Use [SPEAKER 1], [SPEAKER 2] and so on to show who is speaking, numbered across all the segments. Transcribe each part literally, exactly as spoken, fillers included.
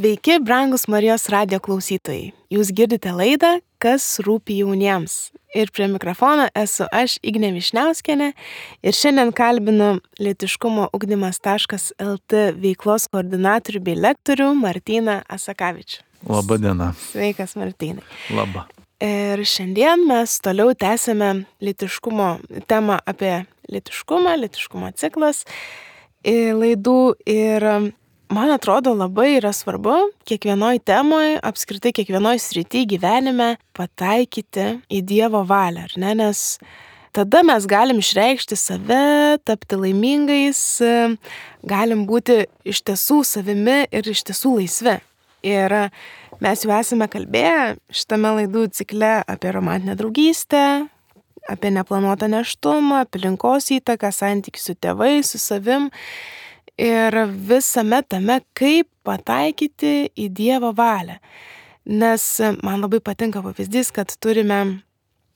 [SPEAKER 1] Sveiki, brangus Marijos radijo klausytojai. Jūs girdite laidą Kas rūpi jauniems. Ir prie mikrofono esu aš, Ignė Višniauskienė, ir šiandien kalbinu Lytiškumo ugdymas taškas el tė veiklos koordinatorių bei lektorių Martyną Asakavičių.
[SPEAKER 2] Labą dieną.
[SPEAKER 1] Sveikas, Martynai.
[SPEAKER 2] Labą.
[SPEAKER 1] Ir šiandien mes toliau tęsime lytiškumo temą apie lytiškumą, lytiškumo ciklas laidų. Ir man atrodo labai yra svarbu kiekvienoj temoj, apskritai kiekvienoj srity gyvenime pataikyti į Dievo valią, ar ne? Nes tada mes galim išreikšti save, tapti laimingais, galim būti iš tiesų savimi ir iš tiesų laisvi. Ir mes jau esame kalbėję šitame laidų cikle apie romantinę draugystę, apie neplanuotą nėštumą, aplinkos įtaką, santykių su tėvais, su savim. Ir visame tame, kaip pataikyti į Dievo valią. Nes man labai patinka pavyzdys, kad turime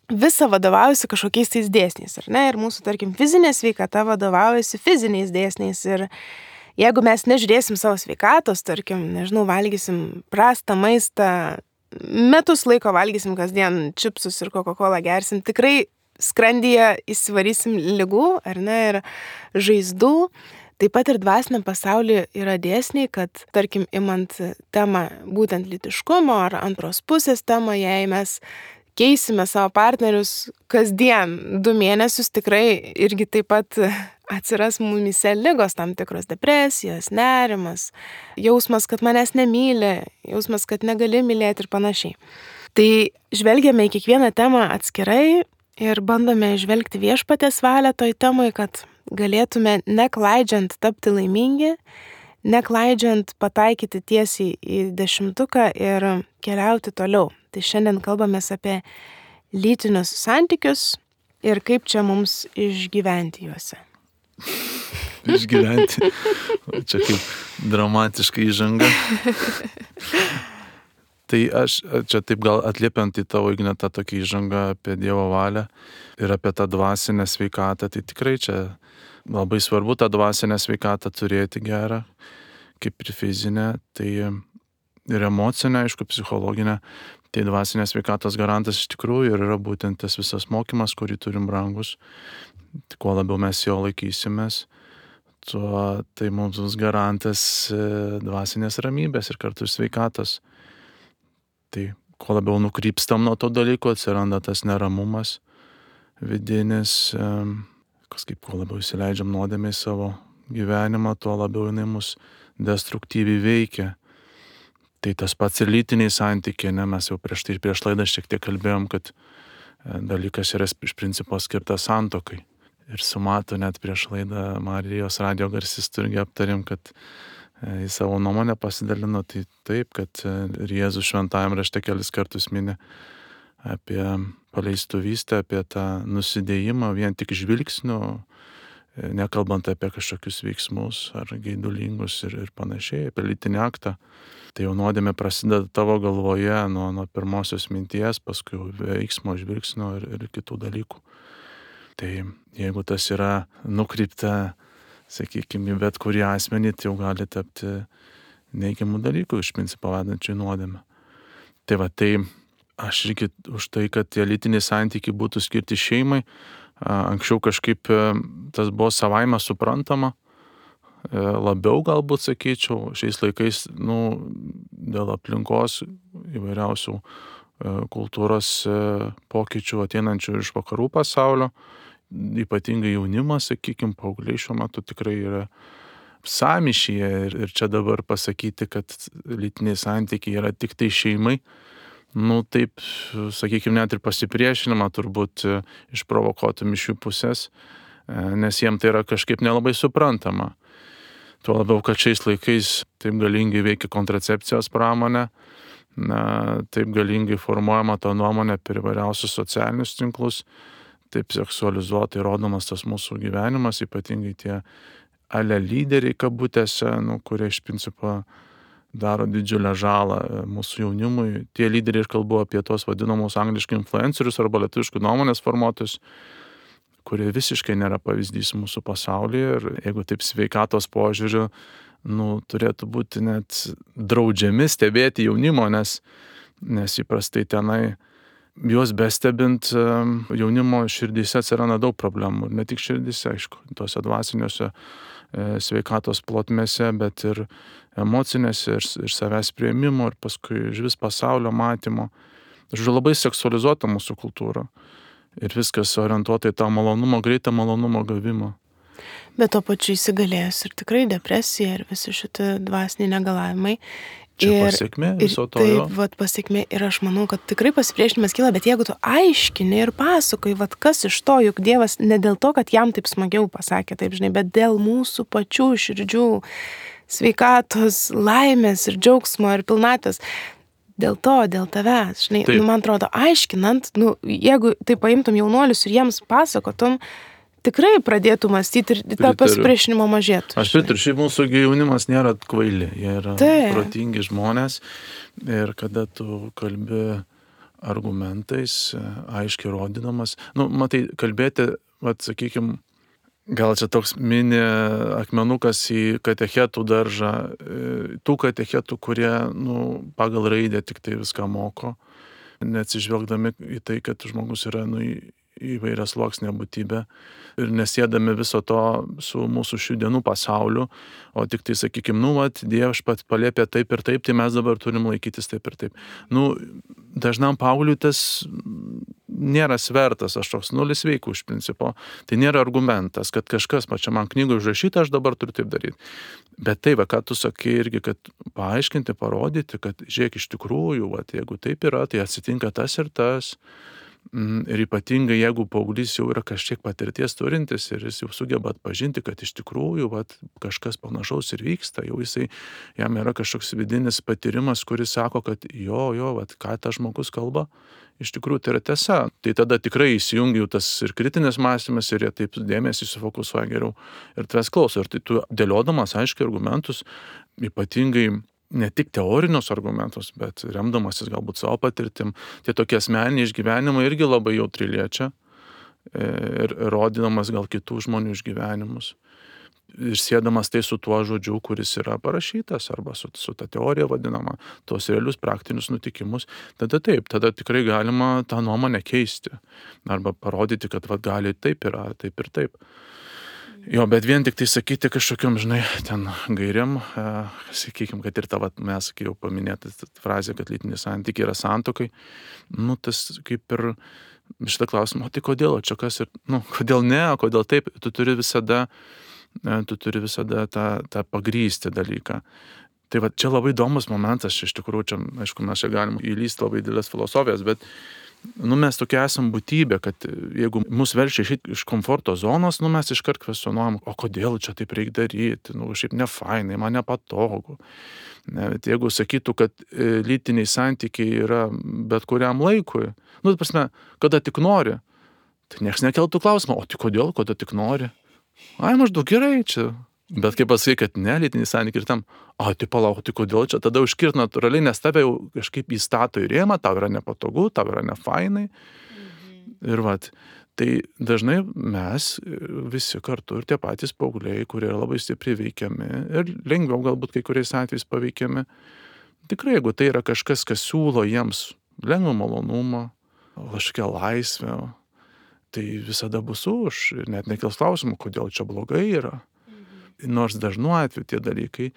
[SPEAKER 1] visą vadovaujasi kažkokiais tais dėsniais, ar ne? Ir mūsų, tarkim, fizinė sveikata vadovaujasi fiziniais dėsniais. Ir jeigu mes nežiūrėsim savo sveikatos, tarkim, nežinau, valgysim prastą maistą, metus laiko valgysim kasdien čipsus ir Coca-Colą gersim, tikrai skrandyje įsivarysim ligų, ar ne, ir žaizdų. Taip pat ir dvasiniam pasaulyje yra dėsniai, kad, tarkim, imant temą būtent lytiškumo ar antros pusės temą, jei mes keisime savo partnerius kasdien du mėnesius, tikrai irgi taip pat atsiras mumyse ligos, tam tikros depresijos, nerimas, jausmas, kad manęs nemyli, jausmas, kad negali mylėti ir panašiai. Tai žvelgiame į kiekvieną temą atskirai ir bandome žvelgti viešpaties valią toj temai, kad galėtume neklaidžiant tapti laimingi, neklaidžiant pataikyti tiesiai į dešimtuką ir keliauti toliau. Tai šiandien kalbamės apie lytinius santykius ir kaip čia mums išgyventi juose.
[SPEAKER 2] Išgyventi. Čia kaip dramatiška įžanga. Tai aš čia taip gal atliepiant į tavo, Ignė, tą tokį įžangą apie Dievo valią ir apie tą dvasinę sveikatą, tai tikrai čia labai svarbu tą dvasinę sveikatą turėti gerą, kaip ir fizinę, tai ir emocinę, aišku, psichologinę. Tai dvasinės sveikatos garantas iš tikrųjų ir yra būtent tas visas mokymas, kurį turim brangus. Kuo labiau mes jo laikysimės, tuo tai mums bus garantas dvasinės ramybės ir kartu sveikatos. Tai kuo labiau nukrypstam nuo to dalyko, atsiranda tas neramumas vidinis, kažkaip kuo labiau įsileidžiam nuodėmę į savo gyvenimą, tuo labiau jinai mus destruktyviai veikia. Tai tas pats ir lytiniai santykiai, ne, mes jau prieš tai prieš laidą šiek tiek kalbėjom, kad dalykas yra iš principo skirtas santuokai. Ir su Matu net prieš laidą Marijos radijo garsistų irgi aptarėm, kad į savo nuomonę pasidalino, tai taip, kad ir Jėzus šventajam rašte kelis kartus mini apie paleistuvystę, apie tą nusidėjimą vien tik žvilgsniu, nekalbant apie kažkokius veiksmus ar geidulingus ir, ir panašiai, apie lytinį aktą. Tai jau nuodėmė prasideda tavo galvoje nuo, nuo pirmosios minties, paskui veiksmo, žvilgsnio ir, ir kitų dalykų. Tai jeigu tas yra nukreipta, sakykime, bet kurį asmenį, tai jau gali tapti neigiamų dalykų, iš principo vedančių į nuodėmę. Tai va, tai aš irgi už tai, kad tie lytiniai santykiai būtų skirti šeimai. Anksčiau kažkaip tas buvo savaime suprantama, labiau galbūt sakyčiau, šiais laikais, nu, dėl aplinkos įvairiausių kultūros pokyčių ateinančių iš vakarų pasaulio, ypatingai jaunimas, sakykime, paaugliai šiuo metu tikrai yra sąmyšyje ir, ir čia dabar pasakyti, kad lytiniai santykiai yra tik tai šeimai, nu taip, sakykime, net ir pasipriešinimą turbūt išprovokuotum iš jų pusės, nes jiem tai yra kažkaip nelabai suprantama. Tuo labiau, kad šiais laikais taip galingai veikia kontracepcijos pramonė, na, taip galingai formuojama ta nuomonė per įvairiausius socialinius tinklus, taip seksualizuotai rodomas tas mūsų gyvenimas, ypatingai tie ale lyderiai kabutėse, nu, kurie iš principo daro didžiulę žalą mūsų jaunimui. Tie lyderiai, ir kalbu apie tos vadinamus angliškai influencerius arba lietuviškų nuomonės formuotojus, kurie visiškai nėra pavyzdys mūsų pasaulyje. Ir jeigu taip sveikatos požiūriu, nu, turėtų būti net draudžiami stebėti jaunimo, nes, nes įprastai tenai juos bestebint jaunimo širdyse atsiranda daug problemų. Ir ne tik širdyse, aišku, tose dvasiniuose sveikatos plotmėse, bet ir emocinėse, ir, ir savęs priėmimo, ir paskui iš vis pasaulio matymo. Žodžiu, labai seksualizuota mūsų kultūra. Ir viskas orientuota į tą malonumo, greitą malonumo gavimą.
[SPEAKER 1] Bet to pačiu įsigalėjęs ir tikrai depresija ir visi šitie dvasiniai negalavimai.
[SPEAKER 2] Čia
[SPEAKER 1] ir,
[SPEAKER 2] pasiekmė viso to.
[SPEAKER 1] Taip,
[SPEAKER 2] jo.
[SPEAKER 1] vat, pasiekmė. Ir aš manau, kad tikrai pasipriešinimas kyla, bet jeigu tu aiškini ir pasakoji, vat, kas iš to, juk Dievas ne dėl to, kad jam taip smagiau pasakė, taip žinai, bet dėl mūsų pačių širdžių sveikatos, laimės ir džiaugsmo ir pilnatvės. Dėl to, dėl tavęs, žinai, nu, man atrodo, aiškinant, nu, jeigu tai paimtum jaunuolius ir jiems pasakotum, tikrai pradėtų mąstyti ir tą pasipriešinimo mažėtų.
[SPEAKER 2] Aš pritariu, šiaip mūsų jaunimas nėra kvaili, jie yra
[SPEAKER 1] Taip.
[SPEAKER 2] protingi žmonės ir kada tu kalbi argumentais, aiškiai rodydamas, nu, matai, kalbėti, vat, sakykime, gal čia toks mini akmenukas į katechetų daržą, tų katechetų, kurie, nu, pagal raidę tik tai viską moko, neatsižvelgdami į tai, kad žmogus yra, nu, įvairias sluoksnė būtybė ir nesėdami viso to su mūsų šių dienų pasauliu, o tik tai, sakykime, nu, vat, Dievas pat paliepė taip ir taip, tai mes dabar turim laikytis taip ir taip. Nu, dažnam paaugliui tas nėra svertas, aš toks nulis veikų iš principo. Tai nėra argumentas, kad kažkas, pačia man knygoje užrašyta, aš dabar turiu taip daryti. Bet tai, va, ką tu sakai irgi, kad paaiškinti, parodyti, kad žiūrėk, iš tikrųjų, va, jeigu taip yra, tai atsitinka tas ir tas. Ir ypatingai, jeigu paauglys jau yra kažkiek patirties turintis ir jis jau sugeba atpažinti, kad iš tikrųjų vat, kažkas panašaus ir vyksta, jau jisai, jam yra kažkoks vidinis patyrimas, kuris sako, kad jo, jo, vat, ką tas žmogus kalba, iš tikrųjų tai yra tiesa. Tai tada tikrai įsijungia jau tas ir kritinis mąstymas ir jie taip dėmesį sufokusuoja geriau ir tavęs klauso. Ir tai tu dėliodamas aiškiai argumentus, ypatingai ne tik teorinius argumentus, bet remdamasis galbūt savo patirtim, tie tokie asmeniniai išgyvenimai irgi labai jautri liečia ir rodydamas gal kitų žmonių išgyvenimus. Ir sėdamas tai su tuo žodžiu, kuris yra parašytas, arba su, su ta teorija vadinama, tos realius praktinius nutikimus, tada taip, tada tikrai galima tą nuomonę keisti. Arba parodyti, kad va, gali taip yra, taip ir taip. Jo, bet vien tik tai sakyti kažkokiam, žinai, ten gairiam, e, sakykime, kad ir ta, vat, mes, kai jau paminėta frazė, kad lytiniai santykiai yra santuokai, nu, tas kaip ir šitą klausimą, o tai kodėl, o čia kas ir, nu, kodėl ne, o kodėl taip, tu turi visada, e, tu turi visada tą, tą pagrįsti dalyką. Tai va, čia labai įdomus momentas, iš tikrųjų, čia, aišku, mes čia galim įlysti labai didelės filosofijas, bet nu, mes tokia esam būtybė, kad jeigu mus verčia išeiti iš komforto zonos, nu, mes iškart kvestionuojam, o kodėl čia taip reikia daryti, nu, šiaip nefainai, man nepatogu. Ne, bet jeigu sakytų, kad lytiniai santykiai yra bet kuriam laikui, nu, tai prasme, kada tik nori, tai nieks nekeltų klausimą, o tai kodėl, kada tik nori? Ai, maždaug gerai čia. Bet kaip pasakai, kad ne, lytiniai santykiai ir tam, o tai palauk, tai kodėl čia, tada užkirt natūraliai, nes tave jau kažkaip įstato į rėmą, tau yra nepatogu, tau yra nefainai. Mhm. Ir vat, tai dažnai mes visi kartu ir tie patys paaugliai, kurie yra labai stipriai veikiami ir lengviau galbūt kai kuriais atvejais paveikiami, tikrai, jeigu tai yra kažkas, kas siūlo jiems lengvą malonumą, kažkokią laisvę, tai visada bus už ir net nekils klausimų, kodėl čia blogai yra. Nors dažnu atveju tie dalykai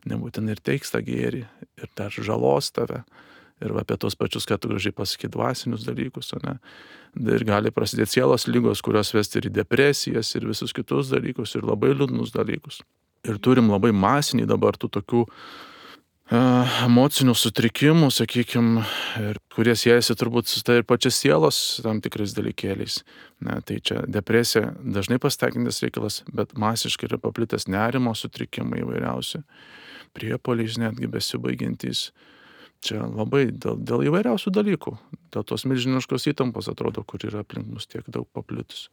[SPEAKER 2] nebūtinai ir teiks tą gėrį ir dar žalos tave. Ir apie tos pačius, kad tu gražiai pasakai, dvasinius dalykus, o ne? Ir gali prasidėti sielos lygos, kurios vesti ir į depresijas, ir visus kitus dalykus, ir labai liūdnus dalykus. Ir turim labai masinį dabar tų tokių emocinių sutrikimų, sakykime, kurie siejasi turbūt su tai ir pačias sielos tam tikrais dalykėliais. Ne, tai čia depresija dažnai pasitaikantis reikalas, bet masiškai yra paplitęs nerimo sutrikimai įvairiausi, priepuoliais netgi besibaigiantys. Čia labai dėl, dėl įvairiausių dalykų, dėl tos milžiniškos įtampos atrodo, kur yra aplink mus tiek daug paplitus.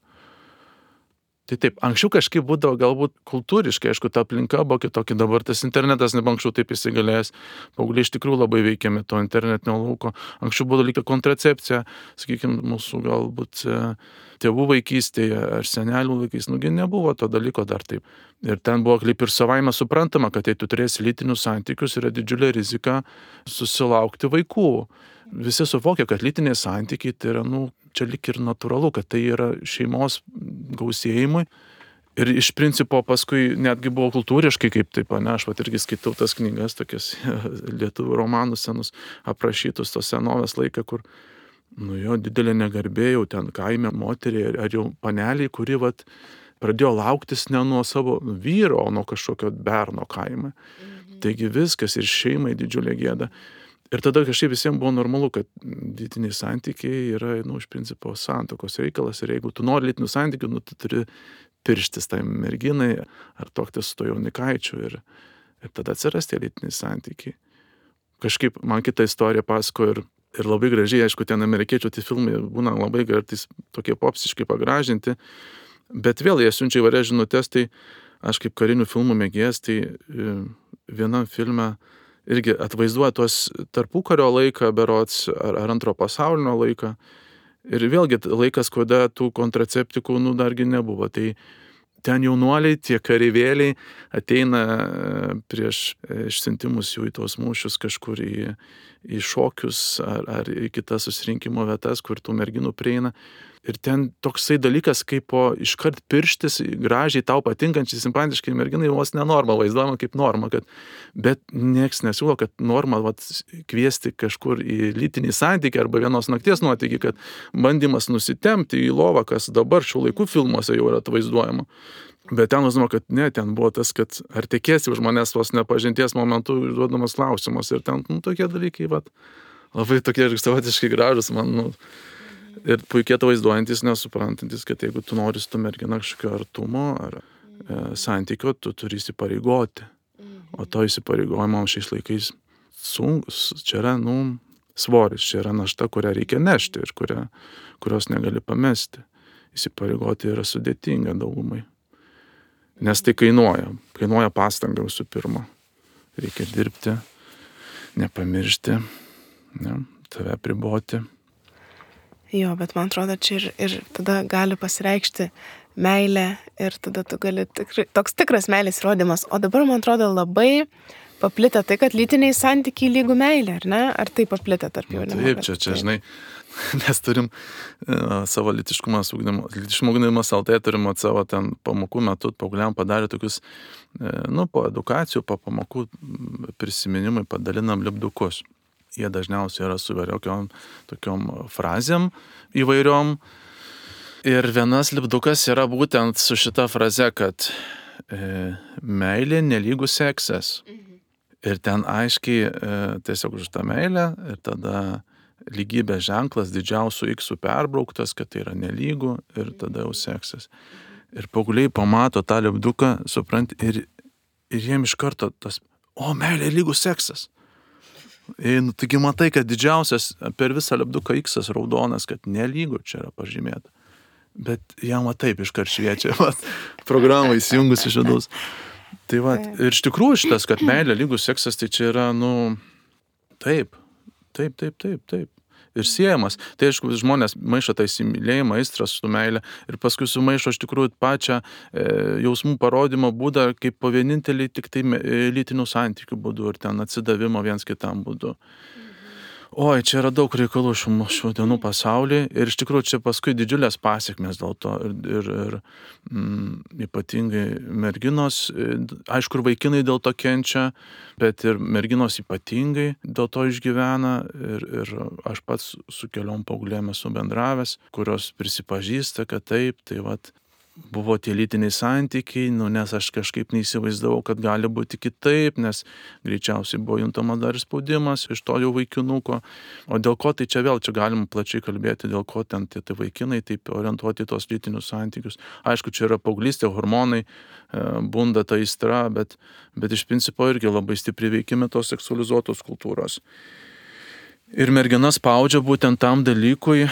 [SPEAKER 2] Tai taip, anksčiau kažkaip būdavo galbūt kultūriškai, aišku, ta aplinka buvo kitokia, dabar tas internetas neba anksčiau taip įsigalėjęs, paaugliai iš tikrųjų labai veikiami to internetinio lauko. Anksčiau buvo lyg kontracepcija, sakykime, mūsų galbūt tėvų vaikystėje ar senelių laikais, nugi nebuvo to dalyko dar taip. Ir ten buvo kaip ir savaime suprantama, kad jei tu turėsi lytinius santykius, yra didžiulė rizika susilaukti vaikų. Visi suvokia, kad lytiniai santykiai tai yra, nu, čia lik ir natūralu, kad tai yra šeimos gausėjimui. Ir iš principo paskui netgi buvo kultūriškai kaip taip, ne, aš pat irgi skaitau tas knygas, tokias lietuvių romanus senus aprašytus tos senovės laiką, kur, nu jo, didelė negarbė jau ten kaime moteriai ar jau paneliai, kuri vat pradėjo lauktis ne nuo savo vyro, o nuo kažkokio berno kaime. Mhm. Taigi viskas ir šeimai didžiulė gėda. Ir tada kažkaip visiems buvo normalu, kad lytiniai santykiai yra, nu, iš principo santuokos reikalas. Ir jeigu tu nori lytinių santykių, nu, tu turi pirštis tai merginai ar tuoktis su to jaunikaičiu. Ir, ir tada atsiras tie lytiniai santykiai. Kažkaip man kitą istoriją pasako ir, ir labai gražiai, aišku, ten amerikiečių tie filmai būna labai kartais tokie popsiškai pagražinti. Bet vėl jie siunčia įvairias žinutes, tai aš kaip karinių filmų mėgėjas, tai vienam filme irgi atvaizduoja tuos tarpukario laiką berods ar, ar antro pasaulinio laiką. Ir vėlgi laikas, kada tų kontraceptikų, nu, dargi nebuvo. Tai ten jaunuoliai, tie kareivėliai ateina prieš išsiuntimus jų į tos mūšius kažkur į, į šokius ar, ar į kitas susirinkimo vietas, kur tų merginų prieina. Ir ten toksai dalykas, kaip po iškart pirštis gražiai tau patinkančiai, simpatiškai merginai, vos nenorma, vaizduojama kaip norma, kad, bet nieks nesiūlo, kad norma vat, kviesti kažkur į lytinį santykį arba vienos nakties nuotykį, kad bandymas nusitempti į lovą, kas dabar šių laikų filmuose jau yra atvaizduojama. Bet ten vaizduojama, kad ne, ten buvo tas, kad ar tikėsi už manęs vos nepažinties momentu užduodamas klausimas. Ir ten, nu, tokie dalykai, vat, labai tokie savotiškai gražus, man, nu, ir puikiai atvaizduojantis, nesuprantantis, kad jeigu tu nori su tu mergina kažkokio artumo ar e, santykio, tu turi įsipareigoti. O to įsipareigojimo šiais laikais sunkus, čia yra, nu, svoris, čia yra našta, kurią reikia nešti ir kurią, kurios negali pamesti. Įsipareigoti yra sudėtinga daugumai. Nes tai kainuoja. Kainuoja pastangą visų pirma. Reikia dirbti, nepamiršti, ne, tave priboti.
[SPEAKER 1] Jo, bet man atrodo, čia ir, ir tada gali pasireikšti meilė ir tada tu gali tikrai, toks tikras meilės įrodymas. O dabar, man atrodo, labai paplitę tai, kad lytiniai santykiai lygų meilė, ar ne? Ar tai paplitę tarp jaunimo?
[SPEAKER 2] Taip, čia, čia, žinai, mes turim uh, savo lytiškumas ugdymo, lytiškumo ugdymas L T turim savo ten pamokų metu, paaugliam padarė tokius, uh, nu, po edukacijų, po pamokų prisiminimai padalinam lipdukus. Jie dažniausiai yra su įvairiokiom tokiom frazėm įvairiom. Ir vienas lipdukas yra būtent su šita fraze, kad e, meilė nelygų seksas. Mhm. Ir ten aiškiai e, tiesiog už tą meilę ir tada lygybės ženklas didžiausių iksų perbrauktas, kad tai yra nelygų ir tada jau seksas. Ir paaugliai pamato tą lipduką, suprant, ir, ir jiem iš karto tas, o meilė lygų seksas. Ir, nu, taigi matai, kad didžiausias per visą lipduką iksas raudonas, kad nelygų čia yra pažymėta. Bet jam va taip iškart šviečia, va, programą įsijungus iš vidaus. Tai va, ir iš tikrųjų šitas, kad meilė lygus seksas, tai čia yra, nu, taip, taip, taip, taip, taip. Ir siejamas. Tai aišku, žmonės maišo tą įsimylėjimą, aistrą su meilė ir paskui sumaišo iš tikrųjų pačią e, jausmų parodymo būdą kaip po vienintelį tik tai lytinių santykių būdu ir ten atsidavimo viens kitam būdu. Oi, čia yra daug reikalų šių, šių dienų pasaulyje ir iš tikrųjų čia paskui didžiulės pasiekmes dėl to ir, ir, ir mm, ypatingai merginos, aišku, ir vaikinai dėl to kenčia, bet ir merginos ypatingai dėl to išgyvena ir, ir aš pats su keliom paauglėm esu bendravęs, kurios prisipažįsta, kad taip, tai vat, buvo tie lytiniai santykiai, nu, nes aš kažkaip neįsivaizdavau, kad gali būti kitaip, nes greičiausiai buvo juntamas dar spaudimas iš to jau vaikinuko. O dėl ko, tai čia vėl, čia galim plačiai kalbėti, dėl ko ten tie tai vaikinai taip orientuoti į tos lytinius santykius. Aišku, čia yra paauglystė, hormonai, bunda ta aistra, bet, bet iš principo irgi labai stipriai veikime tos seksualizuotos kultūros. Ir mergina spaudžia būtent tam dalykui,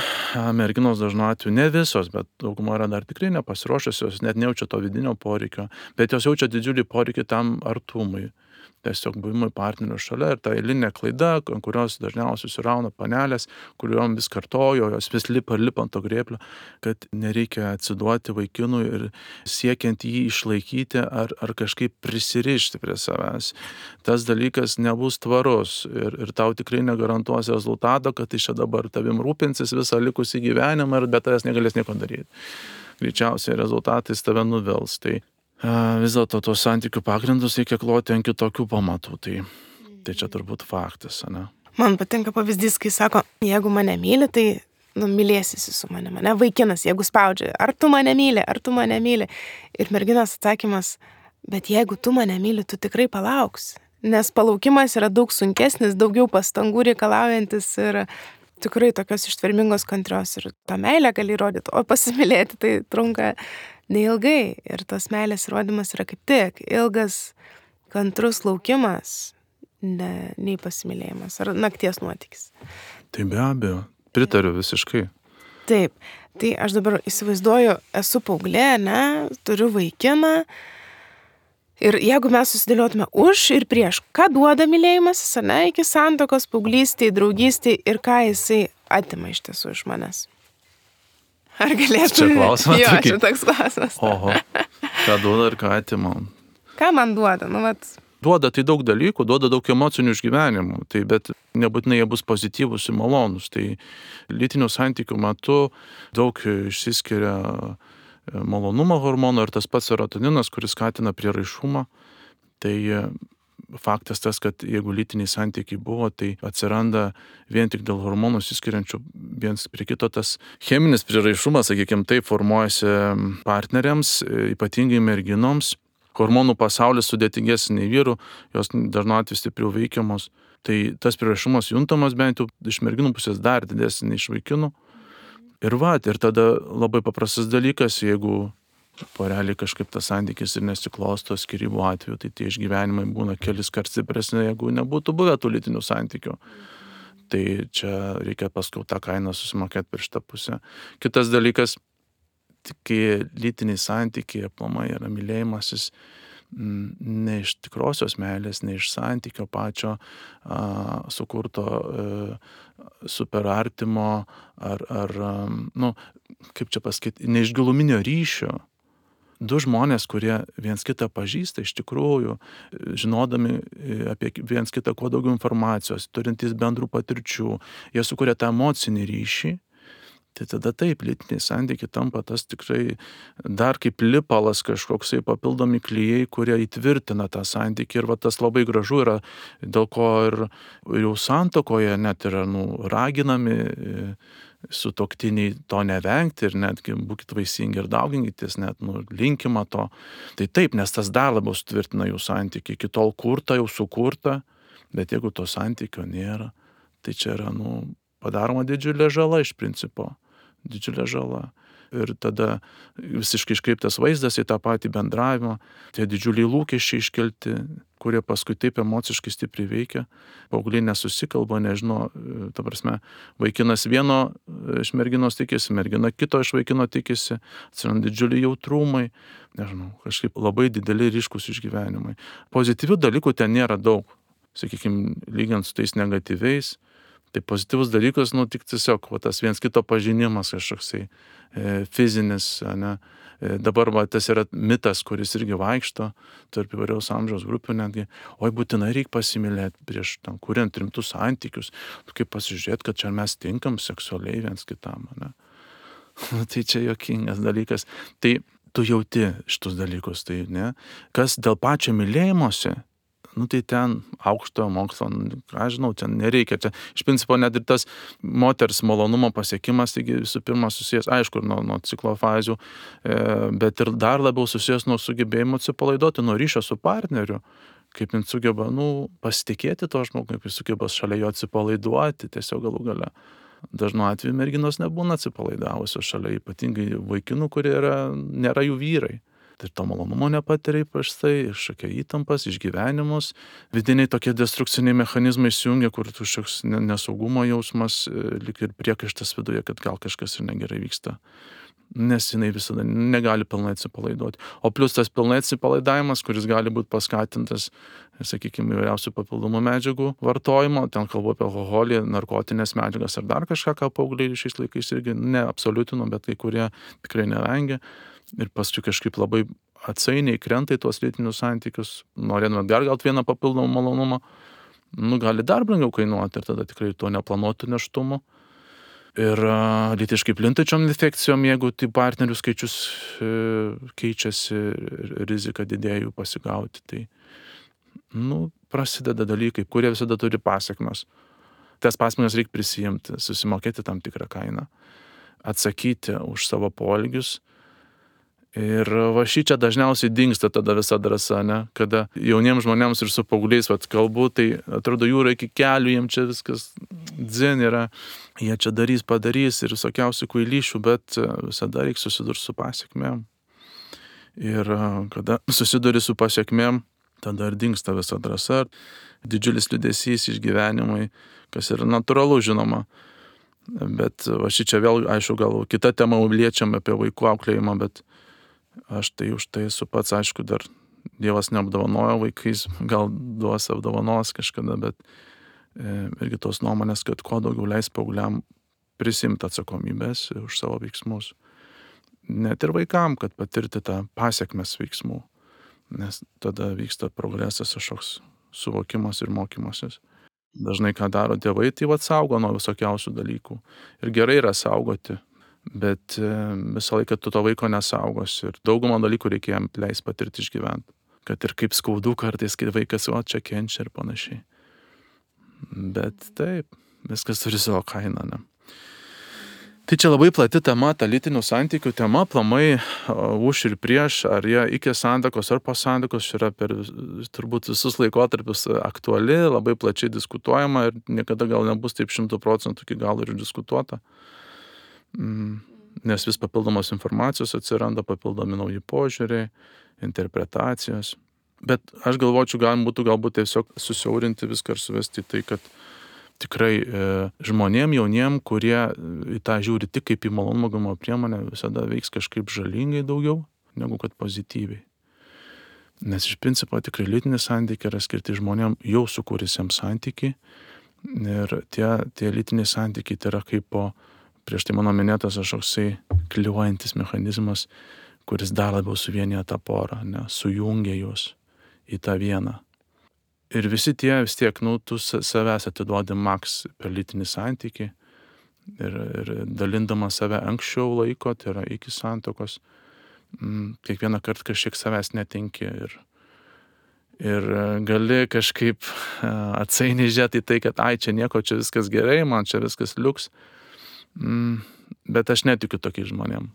[SPEAKER 2] merginos dažnu atveju ne visos, bet dauguma yra dar tikrai nepasiruošusios, net nejaučia to vidinio poreikio, bet jos jaučia didžiulį poreikį tam artumui. Tiesiog buvimui partnerio šalia ir ta eilinė klaida, ant kurios dažniausiai susirauna panelės, kuriuom vis kartojo, jos vis lipa ir lipa ant to grėblio, kad nereikia atsiduoti vaikinui ir siekiant jį išlaikyti ar, ar kažkaip prisirišti prie savęs. Tas dalykas nebus tvarus ir, ir tau tikrai negarantuos rezultato, kad iš čia dabar tavim rūpinsis visą likusį gyvenimą ir be tavęs negalės nieko daryti. Greičiausiai rezultatais tave nuvils. Tai vis dėlto tos santykių pagrindus reikia kloti ant kitokių pamatų, tai, tai čia turbūt faktas, ne?
[SPEAKER 1] Man patinka pavyzdys, kai sako, jeigu mane myli, tai nu, mylėsisi su manimi, ne? Vaikinas, jeigu spaudžia, ar tu mane myli, ar tu mane myli. Ir merginos atsakymas, bet jeigu tu mane myli, tu tikrai palauksi. Nes palaukimas yra daug sunkesnis, daugiau pastangų reikalaujantis ir tikrai tokios ištvermingos kantrios ir tą meilę gali įrodyti, o pasimylėti tai trunka neilgai ir tos meilės įrodymas yra kaip tik ilgas, kantrus laukimas, ne, nei pasimylėjimas ar nakties nuotykis.
[SPEAKER 2] Tai be abejo, pritariu visiškai.
[SPEAKER 1] Taip, tai aš dabar įsivaizduoju, esu paauglė, ne, turiu vaikiną ir jeigu mes susidėliotume už ir prieš, ką duoda mylėjimasis, ne, iki santuokos, paauglystėj, draugystėj ir ką jisai atima iš tiesų iš manęs. Ar galėtų?
[SPEAKER 2] Čia klausimas.
[SPEAKER 1] Jo, čia toks klausimas.
[SPEAKER 2] Oho, ką duoda ir ką atima.
[SPEAKER 1] Ką man duoda? Nu, vat...
[SPEAKER 2] Duoda tai daug dalykų, duoda daug emocinių išgyvenimų, tai bet nebūtinai jie bus pozityvūs ir malonūs. Tai lytinių santykių metu daug išsiskiria malonumo hormono ir tas pats serotoninas, kuris skatina prieraišumą. Tai faktas tas, kad jeigu lytiniai santykiai buvo, tai atsiranda vien tik dėl hormonų išsiskiriančių viens prie kito tas cheminis prieraišumas, sakykime, taip formuojasi partneriams, ypatingai merginoms. Hormonų pasaulis sudėtingesnis nei vyrų, jos dažnu atveju stipriau veikiamos. Tai tas prieraišumas juntamas bent jau iš merginų pusės dar didesnis nei iš vaikinų. Ir va, ir tada labai paprastas dalykas, jeigu poreliai kažkaip tas santykis ir nesiklosto skyrybų atveju, tai tie išgyvenimai būna kelis kart stipresni, jeigu nebūtų buvę tų lytinių santykių. Tai čia reikia paskui tą kainą susimokėti per šitą pusę. Kitas dalykas, kai lytiniai santykiai aplamai yra mylėjimasis ne iš tikrosios meilės, ne iš santykio pačio a, sukurto a, super artimo ar, ar a, nu, kaip čia pasakyti, ne iš giluminio ryšio. Du žmonės, kurie viens kitą pažįsta iš tikrųjų, žinodami apie viens kitą kuo daugiau informacijos, turintys bendrų patirčių, jie sukuria tą emocinį ryšį, tai tada taip, lytiniai santykiai tampa tas tikrai dar kaip lipalas kažkoksai papildomi klijai, kurie įtvirtina tą santykį ir va tas labai gražu yra, dėl ko ir jau santuokoje net yra nu, raginami sutuoktiniai to nevengti ir netgi būkit vaisingi ir dauginkitės, net nu, linkima to. Tai taip, nes tas dar labiau sutvirtina jų santykį, iki tol kurta, jau sukurta, bet jeigu to santykio nėra, tai čia yra nu, padaroma didžiulė žala iš principo. Didžiulė žala. Ir tada visiškai iškreiptas vaizdas į tą patį bendravimą, tie didžiuliai lūkesčiai iškelti, kurie paskui taip emociškai stipriai veikia. Paaugliai nesusikalba, nežino, ta prasme, vaikinas vieno iš merginos tikisi, mergina kito iš vaikino tikisi, atsiranda didžiuliai jautrumai, nežinau, kažkaip labai dideli ryškus išgyvenimai. Pozityvių dalykų ten nėra daug, sakykime, lygiant su tais negatyviais. Tai pozityvus dalykas, nu, tik tiesiog va, tas viens kito pažinimas kažkoksai e, fizinis, ne. E, dabar va, tas yra mitas, kuris irgi vaikšto tarp įvairiaus amžiaus grupių netgi, oi būtinai reikia pasimylėti prieš tam, kuriant rimtus santykius, tu kaip pasižiūrėti, kad čia mes tinkam seksualiai viens kitam, ne. Tai čia juokingas dalykas. Tai tu jauti šitus dalykus, tai ne. Kas dėl pačio mylėjimosi, nu tai ten aukštojo mokslo, ką žinau, ten nereikia. Čia, iš principo, net ir tas moters malonumo pasiekimas, taigi visų pirma susijęs, aišku, nuo, nuo ciklo fazių, e, bet ir dar labiau susijęs nuo sugebėjimo atsipalaiduoti, nuo ryšio su partneriu, kaip jis sugeba, nu, pasitikėti to žmogui, kaip jis sugeba šalia jo atsipalaiduoti, tiesiog galų gale. Dažnu atveju merginos nebūna atsipalaidavusios šalia, ypatingai vaikinų, kurie yra, nėra jų vyrai. ir to malonumo nepatiria įprastai, iššokia įtampas, išgyvenimus, vidiniai tokie destrukciniai mechanizmai įsijungia, kur kažkoks nesaugumo jausmas, lyg ir priekaištas viduje, kad gal kažkas ir negerai vyksta. Nes jinai visada negali pilnai atsipalaiduoti. O plus tas pilnai atsipalaidavimas, kuris gali būti paskatintas, sakykime, įvairiausių papildomų medžiagų vartojimo, ten kalbu apie alkoholį, narkotinės medžiagas ar dar kažką, ką paaugliai šiais laikais irgi neabsoliutino, bet kai kurie tikrai nevengia. Ir paskui kažkaip labai atsainiai krenta į tuos lytinius santykius, norėdami dar gauti vieną papildomą malonumą, nu gali dar brangiau kainuoti ir tada tikrai to neplanuotų nėštumo. Ir uh, lytiškai plintančiom infekcijom, jeigu tai partnerių skaičius e, keičiasi ir rizika didėja jų pasigauti, tai nu, prasideda dalykai, kurie visada turi pasekmes. Tas pasekmes reikia prisijimti, susimokėti tam tikrą kainą, atsakyti už savo poelgius. Ir va šičia dažniausiai dingsta tada visa drąsa, ne? Kada jauniems žmonėms ir su paaugliais vat kalbu, tai atrodo jūra iki kelių, jiems čia viskas dzin yra, jie čia darys, padarys ir visokiausių kvailyšių, bet visada reikia susidurti su pasiekmėm. Ir kada susiduri su pasiekmėm, tada ir dingsta visa drąsa, didžiulis liūdesys, išgyvenimai, kas yra natūralu, žinoma. Bet va šičia vėl, aišku, gal kita tema liečiam apie vaikų auklėjimą, bet aš tai už tai esu pats, aišku, dar Dievas neapdovanojo vaikais, gal duos apdovanos kažkada, bet e, irgi tos nuomonės, kad kuo daugiau leis paaugliam prisimti atsakomybės už savo veiksmus. Net ir vaikam, kad patirti tą pasiekmes veiksmų, nes tada vyksta progresas, kažkoks suvokimas ir mokymasis. Dažnai ką daro tėvai, tai vat saugo nuo visokiausių dalykų. Ir gerai yra saugoti. Bet visą laiką tu to vaiko nesaugos ir daugumą dalykų reikia jam leis patirti išgyventi. Kad ir kaip skaudu kartais, kai vaikas o čia kenčia ir panašiai. Bet taip, viskas turi savo kainą, ne? Tai čia labai plati tema, ta lytinių santykių tema, plamai už ir prieš, ar jie iki santuokos ar po santuokos yra per turbūt visus laikotarpius aktuali, labai plačiai diskutuojama ir niekada gal nebus taip šimtų procentų iki galo ir diskutuota. Nes vis papildomos informacijos atsiranda, papildomi nauji požiūriai, interpretacijos. Bet aš galvočiau, galima būtų galbūt tiesiog susiaurinti viską ir suvesti tai, kad tikrai e, žmonėm jauniem, kurie į tą žiūri tik kaip į malonumo gavimo priemonę, visada veiks kažkaip žalingai daugiau, negu kad pozityviai. Nes iš principo tikrai lytinis santykiai yra skirti žmonėm jau sukūrusiems santykiai. Ir tie, tie lytiniai santykiai tai yra kaip po prieš tai mano minėtas kažkoksai kliuojantis mechanizmas, kuris dar labiau suvienyje tą porą, ne, sujungia juos į tą vieną. Ir visi tie vis tiek, nu, tu savęs atiduodi maks per lytinį santykį ir, ir dalindama save anksčiau laiko, tai yra iki santuokos, m, kiekvieną kartą kažkiek savęs netinki ir, ir gali kažkaip atsainiai žiūrėti į tai, kad ai, čia nieko, čia viskas gerai, man čia viskas liuks. Mm, bet aš netikiu tokiais žmonėm,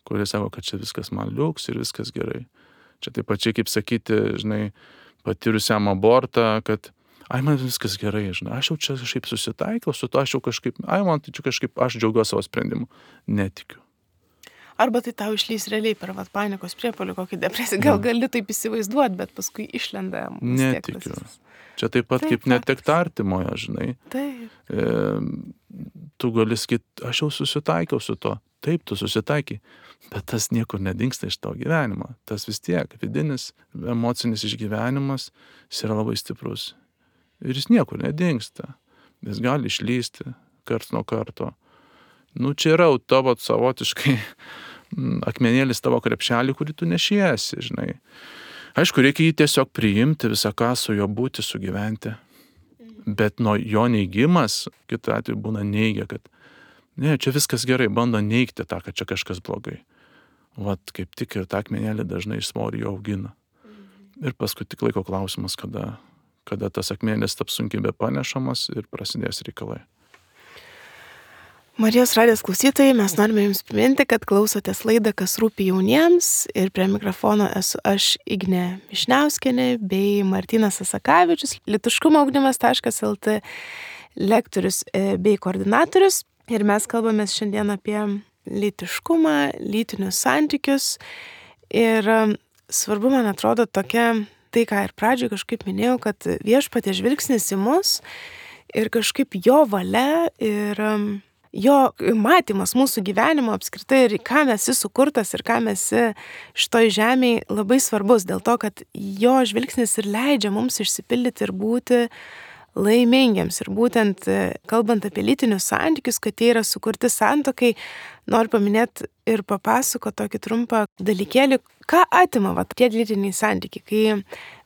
[SPEAKER 2] kurie sako, kad čia viskas man liuks ir viskas gerai. Čia taip pačiai kaip sakyti, žinai, patyrusiam abortą, kad ai, man viskas gerai, žinai, aš jau čia kažkaip susitaikiau su to, aš jau kažkaip, ai, man tai čia kažkaip, aš džiaugiuosi savo sprendimu. Netikiu.
[SPEAKER 1] Arba tai tau išlys realiai per vat panikos priepuolį, kokį depresiją, gal gali taip įsivaizduoti, bet paskui išlenda.
[SPEAKER 2] Netikiu. Tas... Čia taip pat taip, kaip netekti artimojo, žinai.
[SPEAKER 1] Taip.
[SPEAKER 2] E, tu gali sakyti, aš jau susitaikiau su to. Taip, tu susitaikai, bet tas niekur nedingsta iš tavo gyvenimo. Tas vis tiek vidinis, emocinis išgyvenimas, jis yra labai stiprus. Ir jis niekur nedingsta. Jis gali išlysti karts nuo karto. Nu, čia yra tavo savotiškai akmenėlis tavo krepšelį, kurį tu nešiesi, žinai. Aišku, reikia jį tiesiog priimti, visą ką su juo būti, sugyventi. Bet nuo jo neigimas, kitu atveju būna neigia, kad ne, čia viskas gerai, bando neigti tą, kad čia kažkas blogai. Vat kaip tik ir tą akmenėlį dažnai iš svorio jo augina. Ir paskui tik laiko klausimas, kada, kada tas akmenėlis taps sunkiai bepanešamas ir prasidės reikalai.
[SPEAKER 1] Marijos radijos klausytojai, mes norime jums priminti, kad klausotės laidą Kas rūpi jauniems ir prie mikrofono esu aš Ignė Mišniauskienė bei Martynas Asakavičius, lytiškumo ugdymas taškas el tė lektorius bei koordinatorius. Ir mes kalbamės šiandien apie lytiškumą, lytinius santykius. Ir svarbu, man atrodo, tokia, tai ką ir pradžioje kažkaip minėjau, kad Viešpaties žvilgsnis į mus ir kažkaip jo valia ir jo matymas mūsų gyvenimo apskritai ir ką mes esi sukurtas ir ką mes esi šitoj žemėje labai svarbus, dėl to, kad jo žvilgsnis ir leidžia mums išsipildyti ir būti laimingiams. Ir būtent kalbant apie lytinius santykius, kad jie yra sukurti santuokai, noriu paminėti ir papasakoti tokį trumpą dalykėlį, ką atima va, tie lytiniai santykiai. Kai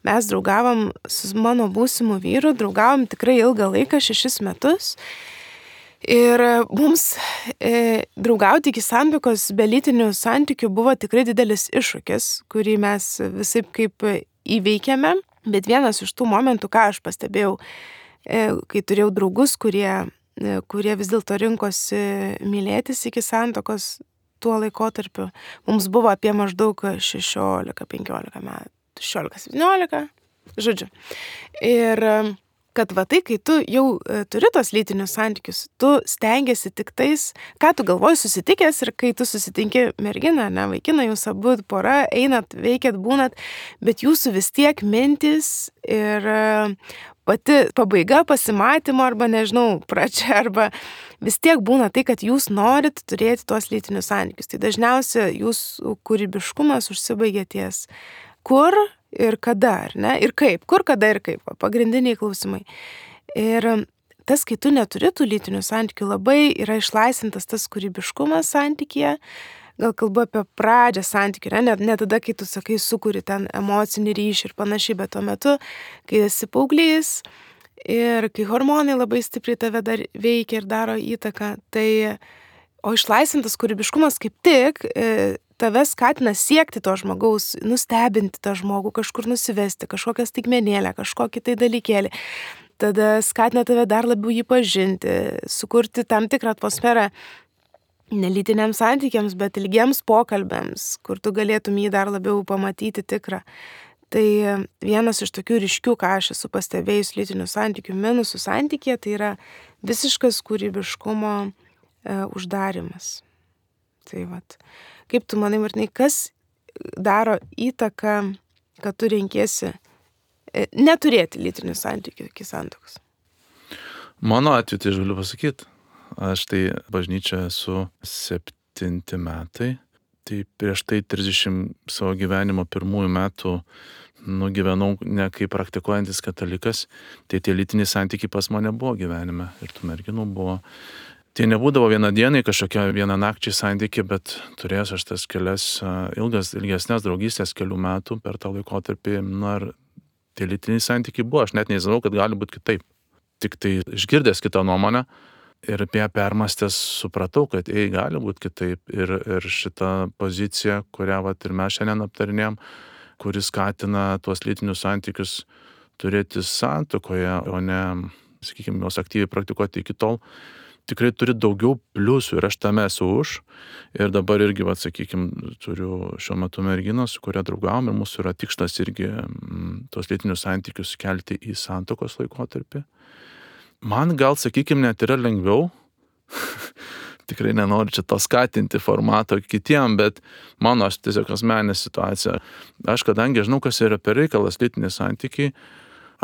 [SPEAKER 1] mes draugavom su mano būsimu vyru, draugavom tikrai ilgą laiką, šešis metus. Ir mums e, draugauti iki santuokos be lytinių santykių buvo tikrai didelis iššūkis, kurį mes visaip kaip įveikėme. Bet vienas iš tų momentų, ką aš pastebėjau, e, kai turėjau draugus, kurie, e, kurie vis dėlto rinkosi mylėtis iki santuokos tuo laikotarpiu, mums buvo apie maždaug šešiolika penkiolika metų, šešiolika septyniolika, žodžiu. Ir kad va tai, kai tu jau turi tos lytinius santykius, tu stengiasi tik tais, ką tu galvoji susitikęs ir kai tu susitinki merginą, ne, vaikiną, jūs abu pora, einat, veikiat, būnat, bet jūsų vis tiek mintis ir pati pabaiga pasimatymo arba, nežinau, pradžia arba vis tiek būna tai, kad jūs norit turėti tuos lytinius santykius. Tai dažniausiai jūsų kūrybiškumas užsibaigia ties kur ir kada, ar ne? Ir kaip? Kur, kada ir kaip? Pagrindiniai klausimai. Ir tas, kai tu neturi tų lytinių santykių, labai yra išlaisvintas tas kūrybiškumas santykyje. Gal kalbu apie pradžią santykių, ne? Ne, ne tada, kai tu sakai, sukuri ten emocinį ryšį ir panašiai, bet tuo metu, kai esi paauglys ir kai hormonai labai stipriai tave dar veikia ir daro įtaką, tai o išlaisvintas kūrybiškumas kaip tik e, tave skatina siekti to žmogaus, nustebinti tą žmogų, kažkur nusivesti, kažkokią staigmenėlę, kažkokį tai dalykėlį. Tada skatina tave dar labiau jį pažinti, sukurti tam tikrą atmosferą nelytiniams santykiams, bet ilgiems pokalbėms, kur tu galėtum jį dar labiau pamatyti tikrą. Tai vienas iš tokių ryškių, ką aš esu pastebėjus lytinių santykių minusų santykėje, tai yra visiškas kūrybiškumo e, uždarimas. Tai vat. Kaip tu manai, Martinai, kas daro įtaką, kad tu renkiesi e, neturėti lytinių santykių iki santuokos?
[SPEAKER 2] Mano atveju, tai aš galiu pasakyti, aš tai bažnyčia esu septinti metai, tai prieš tai trisdešimt savo gyvenimo pirmųjų metų nugyvenau ne kaip praktikuojantis katalikas, tai tie lytiniai santykiai pas mane buvo gyvenime ir tų merginų buvo. Tai nebūdavo vieną dieną kažkokia vieną nakčiai santykiai, bet turėjęs aš tas kelias ilgas, ilgesnės draugystės kelių metų per tą laikotarpį, na ir tie lytiniai santykiai buvo, aš net nežinau, kad gali būti kitaip. Tik tai išgirdęs kitą nuomonę ir apie ją permastęs supratau, kad ei, gali būti kitaip ir, ir šita pozicija, kurią vat, ir mes šiandien aptarinėjom, kuris skatina tuos lytinius santykius turėti santuokoje, o ne, sakykime, juos aktyviai praktikuoti iki tol, tikrai turi daugiau pliusų ir aš tame esu už. Ir dabar irgi, vat, sakykime, turiu šiuo metu merginą, su kuria draugavom ir mūsų yra tikslas irgi m, tuos lytinius santykius kelti į santuokos laikotarpį. Man gal, sakykime, net yra lengviau, tikrai nenoriu čia to skatinti formato kitiem, bet mano tiesiog asmeninė situacija. Aš kadangi žinau, kas yra per reikalas lytiniai santykiai,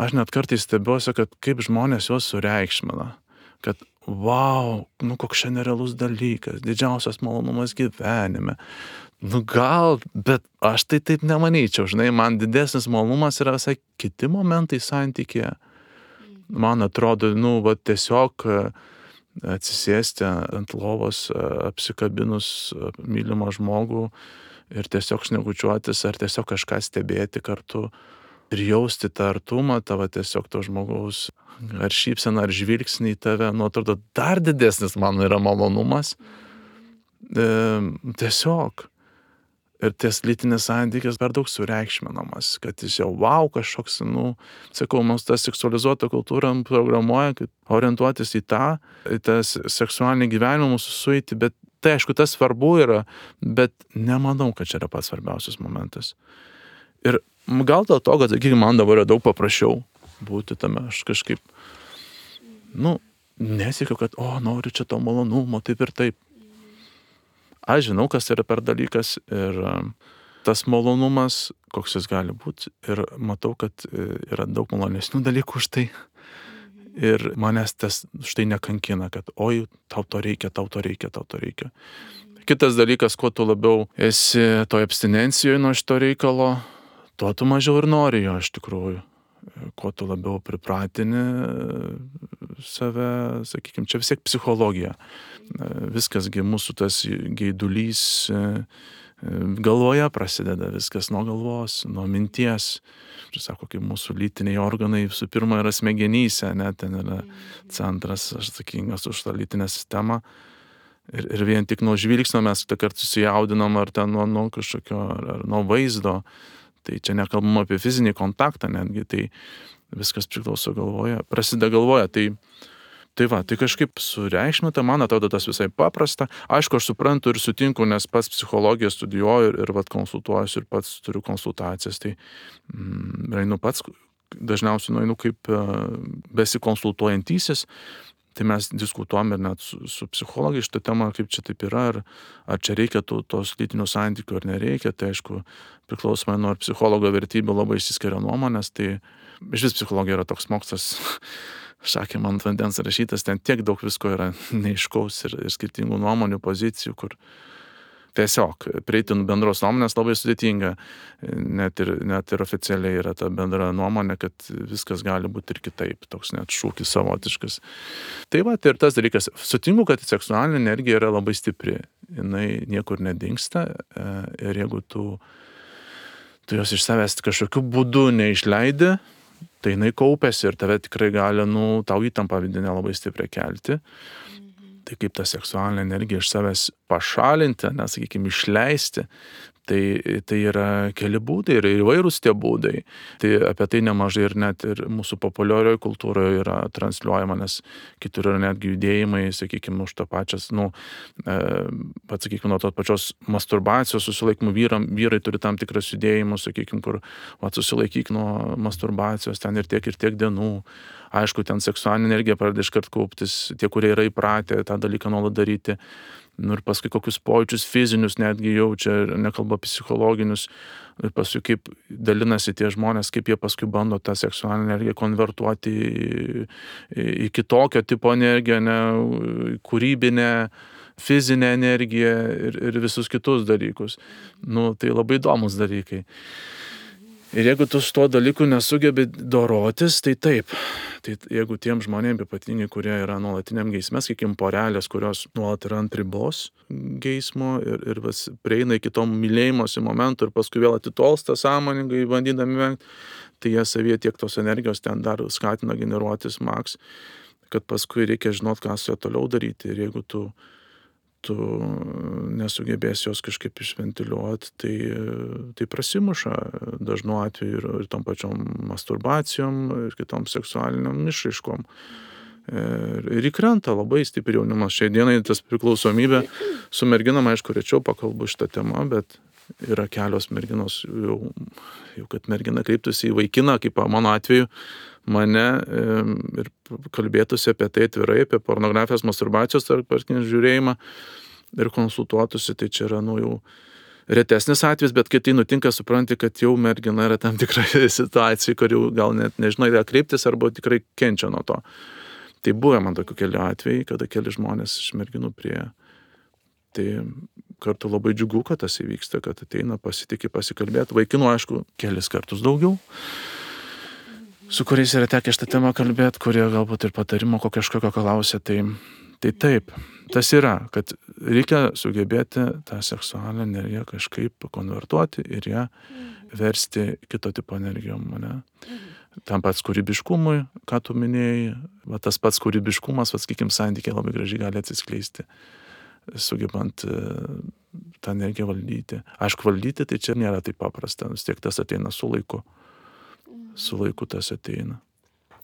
[SPEAKER 2] aš net kartais stebiuosi, kad kaip žmonės juos sureikšmina. Kad wow, nu koks čia nerealus dalykas, didžiausias malonumas gyvenime. Nu gal, bet aš tai taip nemanyčiau, žinai, man didesnis malonumas yra visai kiti momentai santykėje. Man atrodo, nu, va, tiesiog atsisėsti ant lovos, apsikabinus mylimą žmogų ir tiesiog šnekučiuotis ar tiesiog kažką stebėti kartu ir jausti tą artumą, tavo tiesiog to žmogaus ar šypseną, ar žvilgsnį į tave, nu, atrodo, dar didesnis man yra malonumas. E, tiesiog. Ir ties lytinis santykis per daug sureikšminamas, kad jis jau wow kažkoks, nu, sakau, mums ta seksualizuota kultūra programuoja, kad orientuotis į tą, į tą seksualinį gyvenimą mūsų sueiti, bet tai aišku, tas svarbu yra, bet nemanau, kad čia yra pats svarbiausias momentas. Ir gal dėl to, kad, sakykime, man dabar yra daug paprasčiau būti tame, aš kažkaip, nu, nesiekiu, kad, o, noriu čia to malonumo, taip ir taip. Aš žinau, kas yra per dalykas ir tas malonumas, koks jis gali būti. Ir matau, kad yra daug malonesnių dalykų už tai. Ir manęs tas štai nekankina, kad oi, tau to reikia, tau to reikia, tau to reikia. Kitas dalykas, kuo tu labiau esi toj abstinencijoje nuo šito reikalo, tuo tu mažiau ir nori jo iš tikrųjų. Kuo tu labiau pripratini save, sakykime, čia vis tiek psichologija. Viskasgi mūsų tas geidulys galvoje prasideda, viskas nuo galvos, nuo minties. Ir sako, kaip mūsų lytiniai organai visų pirma yra smegenyse, ne, ten yra centras, aš atsakingas už tą lytinę sistemą. Ir, ir vien tik nuo žvilgsnio mes tą kartą susijaudinam, ar ten nuo, nuo kažkokio, ar, ar nuo vaizdo. Tai čia nekalbam apie fizinį kontaktą netgi, tai viskas priklauso galvoje, prasideda galvoje. Tai, tai va, tai kažkaip sureikšminta, man atrodo tas visai paprasta. Aišku, aš suprantu ir sutinku, nes pats psichologiją studijuoju ir, ir vat, konsultuojuosi ir pats turiu konsultacijas. Tai mm, einu pats, dažniausiai nueinu kaip besikonsultuojantysis. Tai mes diskutuom ir net su, su psichologai šitą temą, kaip čia taip yra, ar, ar čia reikia tų, tos lytinių santykių ar nereikia. Tai aišku, priklausomai nuo psichologo vertybių labai išsiskiria nuomonės. Tai iš vis psichologija yra toks mokslas, šakė man ant vandens rašytas, ten tiek daug visko yra neiškaus ir, ir skirtingų nuomonių, pozicijų, kur tiesiog prieiti bendros nuomonės labai sudėtinga. Net ir, net ir oficialiai yra ta bendra nuomonė, kad viskas gali būti ir kitaip, toks net šūkis savotiškas. Tai va, tai ir tas dalykas. Sutinku, kad seksualinė energija yra labai stipri. Jinai niekur nedingsta ir jeigu tu, tu jos iš savęs kažkokiu būdu neišleidi, tai jinai kaupiasi ir tave tikrai gali, nu, tau įtampą vidinę labai stipriai kelti. Tai kaip tą seksualinę energiją iš savęs pašalinti, nes, sakykime, išleisti, tai, tai yra keli būdai ir įvairūs tie būdai. Tai apie tai nemažai ir net ir mūsų populiarioje kultūroje yra transliuojama, nes kitur yra netgi judėjimai, sakykime, už tą pačias, nu, e, pat, sakykime, nuo tos pačios masturbacijos susilaikymų vyram, vyrai turi tam tikras judėjimus, sakykime, kur va, susilaikyk nuo masturbacijos ten ir tiek ir tiek dienų. Aišku, ten seksualinė energija pradeda iškart kauptis, tie, kurie yra įpratę tą dalyką nuolat daryti. Nu, ir paskui kokius pojūčius fizinius netgi jaučia, nekalba psichologinius. Ir paskui kaip dalinasi tie žmonės, kaip jie paskui bando tą seksualinę energiją konvertuoti į, į kitokio tipo energiją, ne, kūrybinę, fizinę energiją ir, ir visus kitus dalykus. Nu, tai labai įdomus dalykai. Ir jeigu tu su tuo dalyku nesugebi dorotis, tai taip. Tai jeigu tiem žmonėms, ypatingai, kurie yra nuolatiniam geisme, sakykim, porelės, kurios nuolat yra ant ribos geismo ir, ir vis prieina iki to mylėjimosi momentų ir paskui vėl atitolsta sąmoningai, bandydami vengti, tai jie savyje tiek tos energijos ten dar skatina generuotis maks, kad paskui reikia žinot, ką su juo toliau daryti. Ir jeigu tu tu nesugebėsi jos kažkaip išventiliuoti, tai, tai prasimuša dažnu atveju ir, ir tom pačiom masturbacijom, ir kitom seksualiniam išraiškom. Ir, ir įkrenta labai stipriai jaunimas. Šiai dienai tas priklausomybė su merginom, aišku, rečiau pakalbu šitą temą, bet yra kelios merginos, jau, jau kad mergina kreiptųsi į vaikiną, kaip mano atveju, mane ir kalbėtųsi apie tai atvirai, apie pornografijos, masturbacijos ar žiūrėjimą ir konsultuotųsi, tai čia yra, nu, jau retesnis atvejis, bet kai tai nutinka, supranti, kad jau mergina yra tam tikra situacija, kur jau gal net nežinai, ką kreiptis arba tikrai kenčia nuo to. Tai buvo man tokių kelių atvejai, kada keli žmonės iš merginų prie. Tai kartu labai džiugu, kad tas įvyksta, kad ateina, pasitikė pasikalbėti. Vaikinų, aišku, kelis kartus daugiau, su kuriais yra tekę šitą temą kalbėti, kurie galbūt ir patarimo kokio kažkokio klausia. Tai, tai taip, tas yra, kad reikia sugebėti tą seksualinę energiją kažkaip konvertuoti ir ją versti kito tipo energijom, ne? Tam pats kūrybiškumui, ką tu minėjai, va, tas pats kūrybiškumas, va, sakykim, santykiai labai gražiai gali atsiskleisti, sugebant tą energiją valdyti. Aišku, valdyti tai čia nėra taip paprasta, vis tiek tas ateina su laiku. Su laiku tas ateina.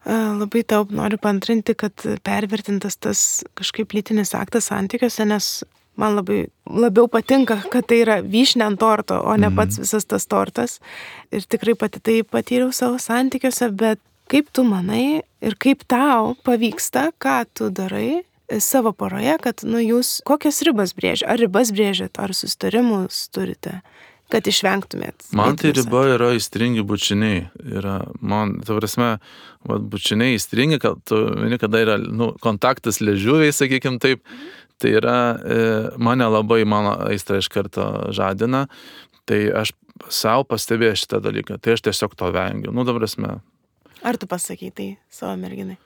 [SPEAKER 1] Labai tau noriu paantrinti, kad pervertintas tas kažkaip lytinis aktas santykiuose, nes man labai labiau patinka, kad tai yra vyšnė ant torto, o ne pats visas tas tortas. Ir tikrai pati tai patyriau savo santykiuose, bet kaip tu manai ir kaip tau pavyksta, ką tu darai savo poroje, kad, nu, jūs kokias ribas brėžia, ar ribas brėžėt, ar susitarimus turite kad išvengtumėt?
[SPEAKER 2] Man tai
[SPEAKER 1] lytinių
[SPEAKER 2] riba yra įstringi bučiniai. Yra, man, ta prasme, va, bučiniai įstringi, kad tu, kada yra nu, kontaktas liežuviai, sakykim taip, tai yra, e, mane labai, mano aistra iš karto žadina, tai aš savo pastebėjau šitą dalyką, tai aš tiesiog to vengiu. Nu, ta prasme.
[SPEAKER 1] Ar tu pasakai tai savo merginai?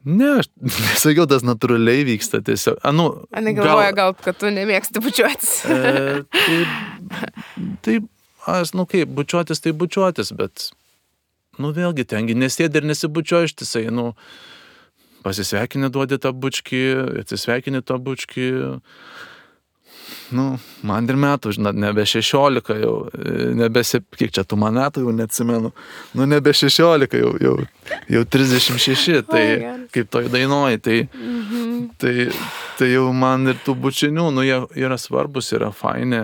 [SPEAKER 2] Ne, aš nesakiau, tas natūraliai vyksta tiesiog. A, nu,
[SPEAKER 1] Ane galvoja, gal, kad tu nemėgsti bučiuotis.
[SPEAKER 2] E, tai, tai, aš, nu kaip, bučiuotis tai bučiuotis, bet, nu vėlgi, tengi nesėdi ir nesibučiuoji ištisai, nu, pasisveikinį duodi tą bučkį, atsisveikinį tą bučkį, nu, man ir metų, žinot, nebe šešiolika jau, nebe, kiek čia tu man metų jau neatsimenu, nu, nebe šešiolika jau, jau, jau trisdešimt šeši, tai oh, kaip toj dainuoji, tai, mm-hmm. tai, tai jau man ir tų bučinių, nu, jie yra svarbus, yra faini,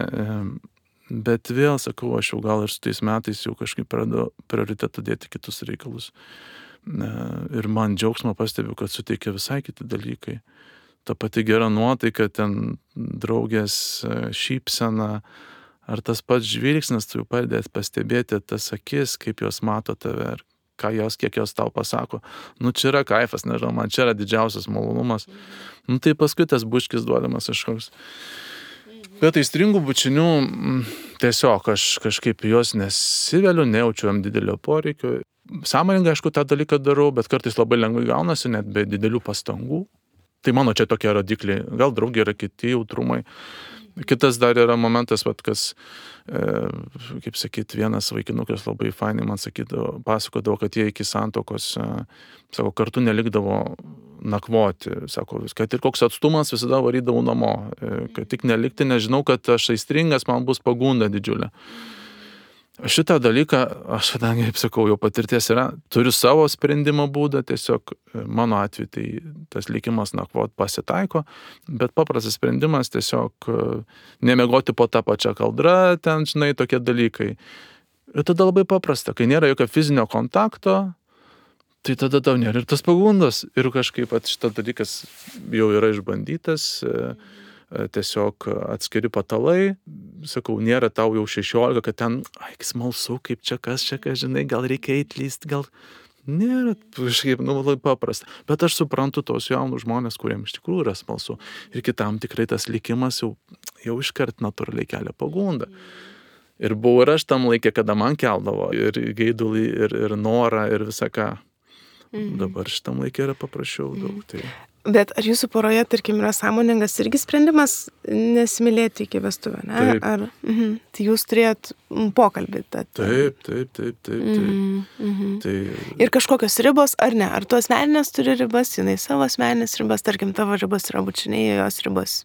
[SPEAKER 2] bet vėl, sakau, aš jau gal ir su tais metais jau kažkaip pradedu prioritetą dėti kitus reikalus. Ir man džiaugsmą pastebiu, kad suteikia visai kiti dalykai. Ta pati gera nuotaika, ten draugės šypsena, ar tas pats žvilgsnis, tu jau padėt pastebėti tas akis, kaip jos mato tave, ar ką jos, kiek jos tau pasako. Nu, čia yra kaifas, nežinau, man čia yra didžiausias malonumas. Nu, tai paskui tas bučkis duodamas kažkoks. Bet aistringų bučinių, tiesiog aš kažkaip jos nesiveliu, nejaučiu jam didelio poreikio. Sąmoningai, aišku, tą dalyką darau, bet kartais labai lengvai gaunasi, net be didelių pastangų. Tai mano čia tokie rodikliai, gal draugiai yra kiti jautrumai. Kitas dar yra momentas, vat, kas, e, kaip sakyt, vienas vaikinukas labai fainai man sakydavo, pasakodavo, kad jie iki santokos, e, sako, kartu nelikdavo nakvoti, sako, kad ir koks atstumas visada varydavau namo, e, kad tik nelikti, nežinau, kad aš aistringas, man bus pagunda didžiulė. Šitą dalyką, aš kadangi, kaip sakau, jau patirties yra, turiu savo sprendimo būdą, tiesiog mano atveju tai tas likimas nakvot pasitaiko, bet paprastas sprendimas tiesiog nemiegoti po tą pačią kaldrą, ten, žinai, tokie dalykai. Ir tada labai paprasta, kai nėra jokio fizinio kontakto, tai tada tau nėra ir tas pagundos. Ir kažkaip at, šitas dalykas jau yra išbandytas, tiesiog atskiri patalai, sakau, nėra tau jau šešiolika, kad ten, ai, smalsu, kaip čia kas, čia kas, žinai, gal reikia įtlyst, gal nėra, kažkaip, nu, labai paprasta. Bet aš suprantu tos jaunus žmonės, kuriems iš tikrųjų yra smalsu. Ir kitam tikrai tas likimas jau, jau iškart natūraliai kelia pagundą. Ir buvau ir aš tam laikė, kada man keldavo ir geidulį, ir, ir norą, ir visą ką. Mm. Dabar šitam laikė yra paprasčiau daug. Tai...
[SPEAKER 1] Bet ar jūsų poroje, tarkim, yra sąmoningas irgi sprendimas nesimylėti iki vestuvių, ne?
[SPEAKER 2] Taip.
[SPEAKER 1] Ar, mhm. Tai jūs turėjot pokalbį. Tad...
[SPEAKER 2] Taip, taip, taip, taip. taip.
[SPEAKER 1] Mhm.
[SPEAKER 2] Tai...
[SPEAKER 1] Ir kažkokios ribos, ar ne? Ar tu asmeninės turi ribas, jinai savo asmeninės ribas, tarkim, tavo ribos yra bučiniai, jos ribos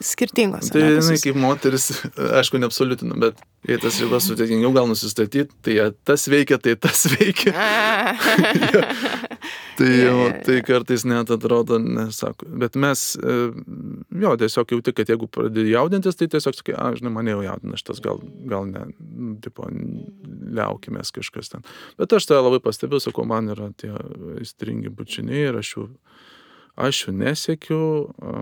[SPEAKER 1] skirtingos.
[SPEAKER 2] Tai jinai kaip moteris, aišku, neabsoliutinu, bet jei tas ribas sudėtingiau gal nusistatyti, tai tas veikia, tai tas veikia. ja. Tai, jau, tai kartais net atrodo, nesako. Bet mes, jo, tiesiog jauti, kad jeigu pradėjai jaudintis, tai tiesiog sakai, a, žinai, mane jau jaudina šitas, gal, gal ne, tipo, liaukimės kažkas ten. Bet aš tą labai pastebėjau, sakau, man yra tie aistringi bučiniai ir aš jų, aš jų nesiekiu,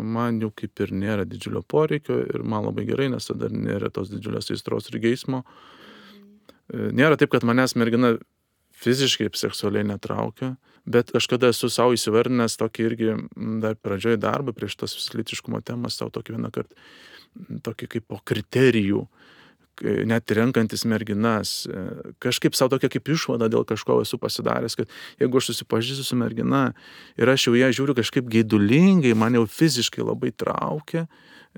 [SPEAKER 2] man jų kaip ir nėra didžiulio poreikio ir man labai gerai, nes tada nėra tos didžiulės aistros ir geismo. Nėra taip, kad manęs mergina fiziškai ir seksualiai netraukia, bet aš kada esu savo įsivardinęs tokį irgi dar pradžioj darbą prieš tas lytiškumo temas, savo tokį vieną kartą, tokį kaip po kriterijų, net renkantis merginas, kažkaip savo tokia kaip išvada dėl kažko esu pasidaręs, kad jeigu aš susipažįstu su mergina ir aš jau ją žiūriu kažkaip geidulingai, man jau fiziškai labai traukia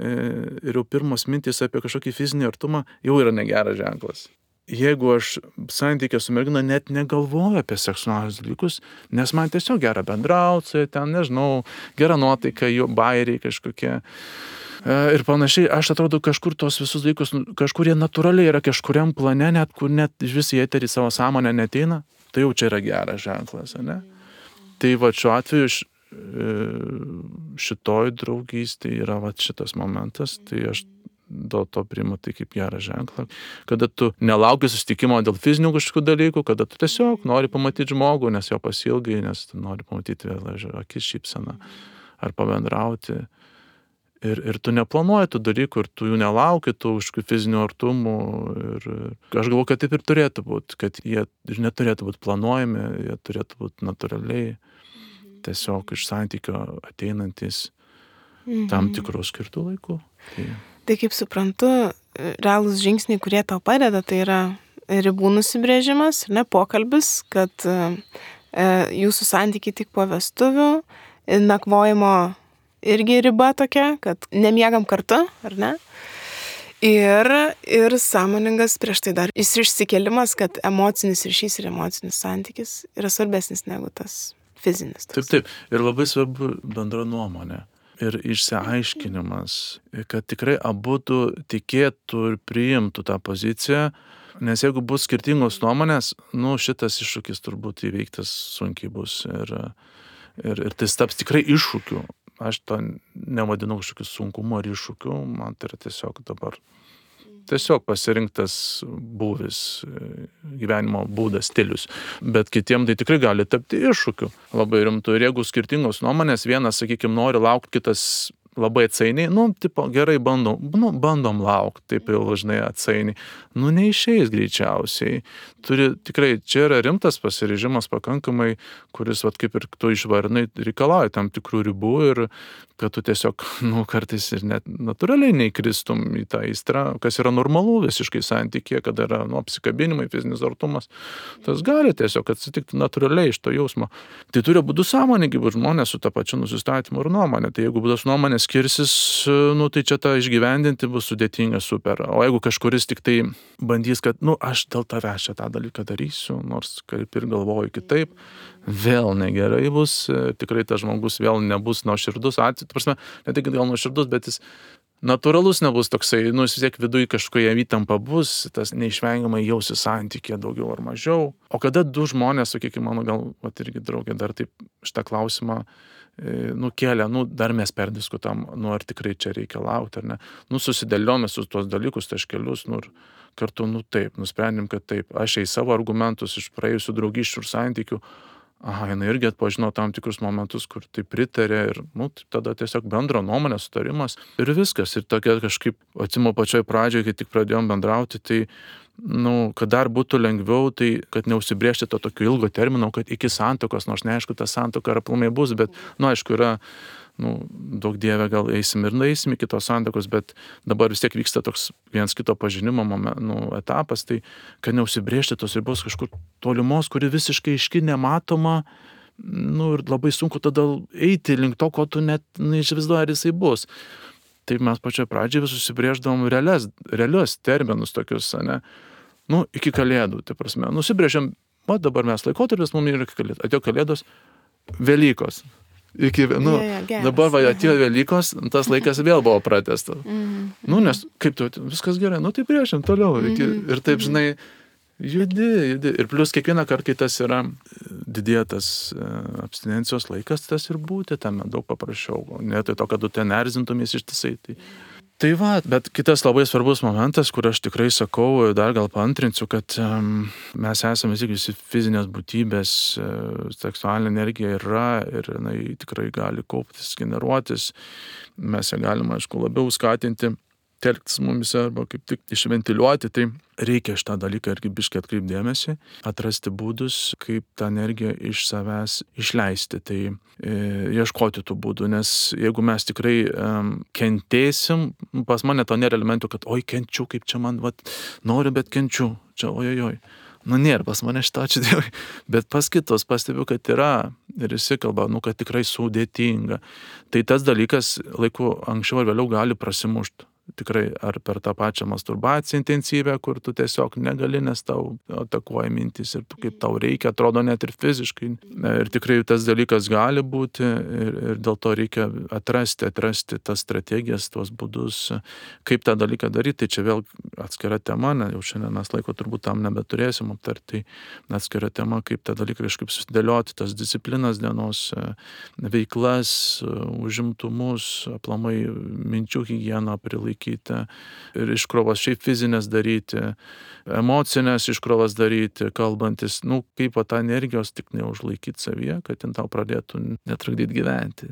[SPEAKER 2] ir jau pirmos mintys apie kažkokį fizinį artumą jau yra negeras ženklas. Jeigu aš santykė su mergina net negalvoju apie seksualinius dalykus, nes man tiesiog gera bendrauti, ten, nežinau, gera nuotaika, jo bairiai kažkokie ir panašiai, aš atrodo kažkur tos visus dalykus, kažkur jie natūraliai yra kažkuriam plane, net kur net vis į eterį savo sąmonę neteina, tai jau čia yra geras ženklas, ne? Tai va šiuo atveju šitoj draugystėje yra va šitas momentas, tai aš dėl to priimu tai kaip gerą ženklą, kada tu nelauki susitikimo dėl fizinių kažkokių dalykų, kada tu tiesiog nori pamatyti žmogų, nes jo pasilgai, nes tu nori pamatyti vėl akis šypseną ar pabendrauti. Ir, ir tu neplanuoji tų dalykų, ir tu jų nelauki, tų kažkokių fizinių artumų. Ir aš galvoju, kad taip ir turėtų būti, kad jie ir neturėtų būti planuojami, jie turėtų būti natūraliai, tiesiog iš santykio ateinantis
[SPEAKER 1] Mhm.
[SPEAKER 2] tam tikrų skirtų laikų. Tai,
[SPEAKER 1] Tai kaip suprantu, realūs žingsniai, kurie tau padeda, tai yra ribų nusibrėžimas, ne pokalbis, kad e, jūsų santykiai tik po vestuvių, nakvojimo irgi riba tokia, kad nemiegam kartu, ar ne? Ir, ir sąmoningas prieš tai dar išsikėlimas, kad emocinis ryšys ir emocinis santykis yra svarbesnis negu tas fizinis.
[SPEAKER 2] taip, taip. Ir labai svarbu bendra nuomonė. Ir išsiaiškinimas, kad tikrai abudu tikėtų ir priimtų tą poziciją, nes jeigu bus skirtingos nuomonės, nu šitas iššūkis turbūt įveiktas sunkiai bus. Ir, ir, ir tai taps tikrai iššūkiu. Aš to nevadinu kažkokiu sunkumu ar iššūkiu, man tai yra tiesiog dabar tiesiog pasirinktas būvis, gyvenimo būdas, stilius. Bet kitiem tai tikrai gali tapti iššūkiu labai rimtu. Ir jeigu skirtingos nuomonės, vienas, sakykime, nori laukti, kitas labai atsainiai, nu, tipo, gerai bandom, nu, bandom laukti, taip jau žinai atsainiai. Nu, neišeis greičiausiai. Turi, tikrai, čia yra rimtas pasiryžimas pakankamai, kuris, vat, kaip ir tu išvarnai, reikalauja tam tikrų ribų ir kad tu tiesiog, nu, kartais ir net natūraliai neįkristum į tą aistrą, kas yra normalu visiškai santykė, kada yra, nu, apsikabinimai, fizinis artumas. Tas gali tiesiog atsitikti natūraliai iš to jausmo. Tai turi būti sąmoningi būti žmonės su tą pačiu nusistatymu ir nuomonė. Tai jeigu būdas nuomonės skirsis, nu, tai čia tą išgyvendinti bus sudėtinga super. O jeigu kažkuris tik tai bandys, kad, nu, aš dėl tavęs čia tą dalyką darysiu, nors kaip ir galvoju kitaip, vėl negerai bus, tikrai tas žmogus vėl nebus nuoširdus, prasme, ne tik gal nuoširdus, bet jis natūralus nebus toksai, nu, vis tiek viduje kažkoje įtampa bus, tas neišvengiamai jausi santykė daugiau ar mažiau. O kada du žmonės, sakykime, mano gal, vat irgi draugė dar taip šitą klausimą, nu, kėlė, nu, dar mes perdiskutam, nu, ar tikrai čia reikia laukti, ar ne. Nu, susidėliojame su tuos dalykus, taškelius, nu, ir kartu, nu, taip, nusprendėm, kad taip, aš į savo argumentus iš praėjusių draugysčių ir santykių, aha, jinai irgi atpažino tam tikrus momentus, kur tai pritarė ir, nu, tada tiesiog bendro nuomonė, sutarimas ir viskas. Ir tokia kažkaip, atsimo pačioj pradžioje, kai tik pradėjom bendrauti, tai, nu, kad dar būtų lengviau, tai kad neužsibrėžti to tokio ilgo termino, kad iki santuokos, nors neaišku, ta santuoka ar aplamai bus, bet, nu, aišku, yra, nu, daug dievė, gal eisim ir nueisim iki tos santuokos, bet dabar vis tiek vyksta toks viens kito pažinimo moment, nu, etapas, tai kad neužsibrėžti tos ribos kažkur tolimos, kuri visiškai aiški, nematoma, nu, ir labai sunku tada eiti link to, ko tu net neišvaizduoji, ar jisai bus. Taip mes pačioje pradžioje vis susibrėždavom realias, realius terminus tokius, ne, nu, iki kalėdų, tai prasme, nusibrėžiam, o dabar mes laikotarpis, mums yra iki kalėdų, atėjo kalėdos, Velykos. Iki, nu,
[SPEAKER 1] yeah, yeah,
[SPEAKER 2] dabar va, atėjo Velykos, tas laikas vėl buvo pratęstas.
[SPEAKER 1] Mhm.
[SPEAKER 2] Nu, nes kaip tu, viskas gerai, nu, tai priešim toliau. Iki, ir taip, žinai, judi, judi. Ir plus kiekvieną kartą, kai tas yra didėtas abstinencijos laikas, tas ir būti tame daug paprasčiau. Ne tai to, kad tu ten erzintumės ištisai. Tai, tai va, bet kitas labai svarbus momentas, kur aš tikrai sakau, dar gal paantrinsiu, kad um, mes esame visi fizinės būtybės, seksualinė energija yra ir jinai tikrai gali kauptis, generuotis. Mes ją galime, aišku, labiau skatinti, telktis mumis arba kaip tik išventiliuoti, tai reikia šitą dalyką irgi biškai atkreipdėmėsi, atrasti būdus, kaip tą energiją iš savęs išleisti, tai e, ieškoti tų būdų, nes jeigu mes tikrai e, kentėsim, pas mane to nėra elementų, kad oi kenčiu, kaip čia man, vat, noriu, bet kenčiu, čia ojojoj. Nu, nėra pas mane šito, ačiū Dievui, bet pas kitus pastebiu, kad yra ir įsikalba, nu, kad tikrai sudėtinga. Tai tas dalykas laiku anksčiau ar vėliau gali prasimušti. Tikrai ar per tą pačią masturbaciją intensyvę, kur tu tiesiog negali, nes tau atakuoja mintis ir tu, kaip tau reikia, atrodo net ir fiziškai. Ir tikrai tas dalykas gali būti ir, ir dėl to reikia atrasti, atrasti tas strategijas, tuos būdus, kaip tą dalyką daryti. Tai čia vėl atskira tema, ne, jau šiandien mes laiko turbūt tam nebeturėsim aptarti, tai atskira tema, kaip tą dalyką kažkaip susidėlioti, tas disciplinas dienos, veiklas, užimtumus, aplamai minčių higieną prilaikyti. Ir iškrovas šiaip fizinės daryti, emocinės iškrovas daryti, kalbantis, nu, kaip tą energijos tik neužlaikyti savyje, kad jin tau pradėtų netrukdyti gyventi.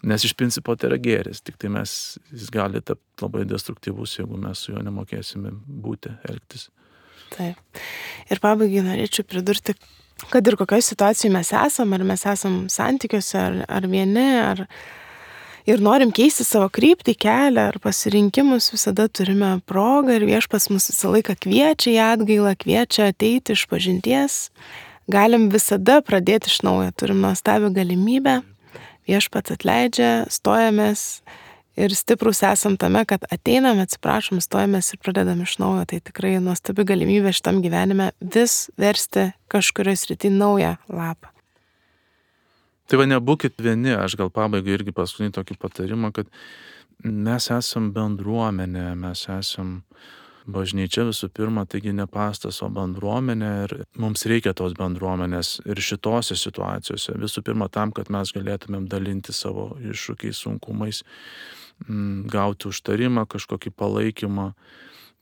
[SPEAKER 2] Nes iš principo tai yra gėris, tik tai mes, jis gali tapti labai destruktyvus, jeigu mes su juo nemokėsime būti, elgtis.
[SPEAKER 1] Taip. Ir pabaigai norėčiau pridurti, kad ir kokioje situacijoje mes esam, ar mes esam santykiuose, ar, ar vieni, ar ir norim keisti savo kryptį, kelią ar pasirinkimus, visada turime progą ir Viešpats mus visą laiką kviečia į atgailą, kviečia ateiti iš pažinties. Galim visada pradėti iš naujo, turim nuostabią galimybę. Viešpats atleidžia, stojamės ir stiprus esam tame, kad ateinam, atsiprašom, stojamės ir pradedam iš naujo. Tai tikrai nuostabi galimybė šitam gyvenime vis versti kažkurioje srityje naują lapą.
[SPEAKER 2] Tai va, nebūkit vieni, aš gal pabaigai irgi paskutinį tokį patarimą, kad mes esam bendruomenė, mes esam bažnyčia visų pirma, taigi ne pastas, o bendruomenė ir mums reikia tos bendruomenės ir šitose situacijose. Visų pirma tam, kad mes galėtumėm dalinti savo iššūkiais, sunkumais, gauti užtarimą, kažkokį palaikymą.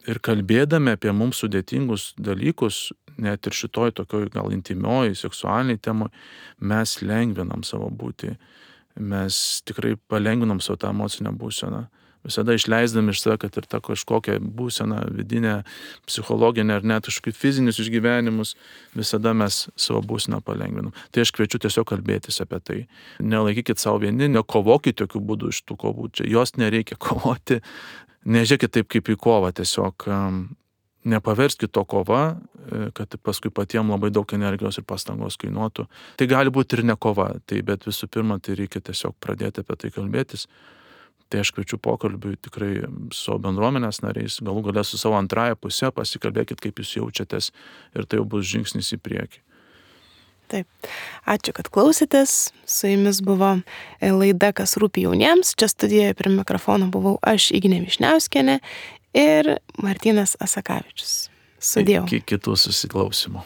[SPEAKER 2] Ir kalbėdami apie mums sudėtingus dalykus, net ir šitoj tokioj gal intimioj, seksualiniai temoj, mes lengvinam savo būtį. Mes tikrai palengvinam savo tą emocinę būseną. Visada išleisdami iš save, kad ir tą kažkokią būseną, vidinę, psichologinę ar net kažkokius fizinius išgyvenimus, visada mes savo būseną palengvinam. Tai aš kviečiu tiesiog kalbėtis apie tai. Nelaikykit savo vieni, nekovokit tokių būdų iš tų kovų. Čia jos nereikia kovoti. Nežiūrėkit taip kaip į kovą, tiesiog nepaverskit to kova, kad paskui patiem labai daug energijos ir pastangos kainuotų. Tai gali būti ir ne kova, tai, bet visų pirma, tai reikia tiesiog pradėti apie tai kalbėtis. Tai aš kviečiu pokalbiui tikrai su savo bendruomenės nariais, galų gale su savo antrąją pusę, pasikalbėkit, kaip jūs jaučiatės ir tai jau bus žingsnis į priekį.
[SPEAKER 1] Taip. Ačiū, kad klausėtės. Su jumis buvo laida Kas rūpi jauniems. Čia studijoje prie mikrofono buvau aš, Ignė Višniauskienė ir Martynas Asakavičius. Sudėjau.
[SPEAKER 2] Iki kitų susiklausymų.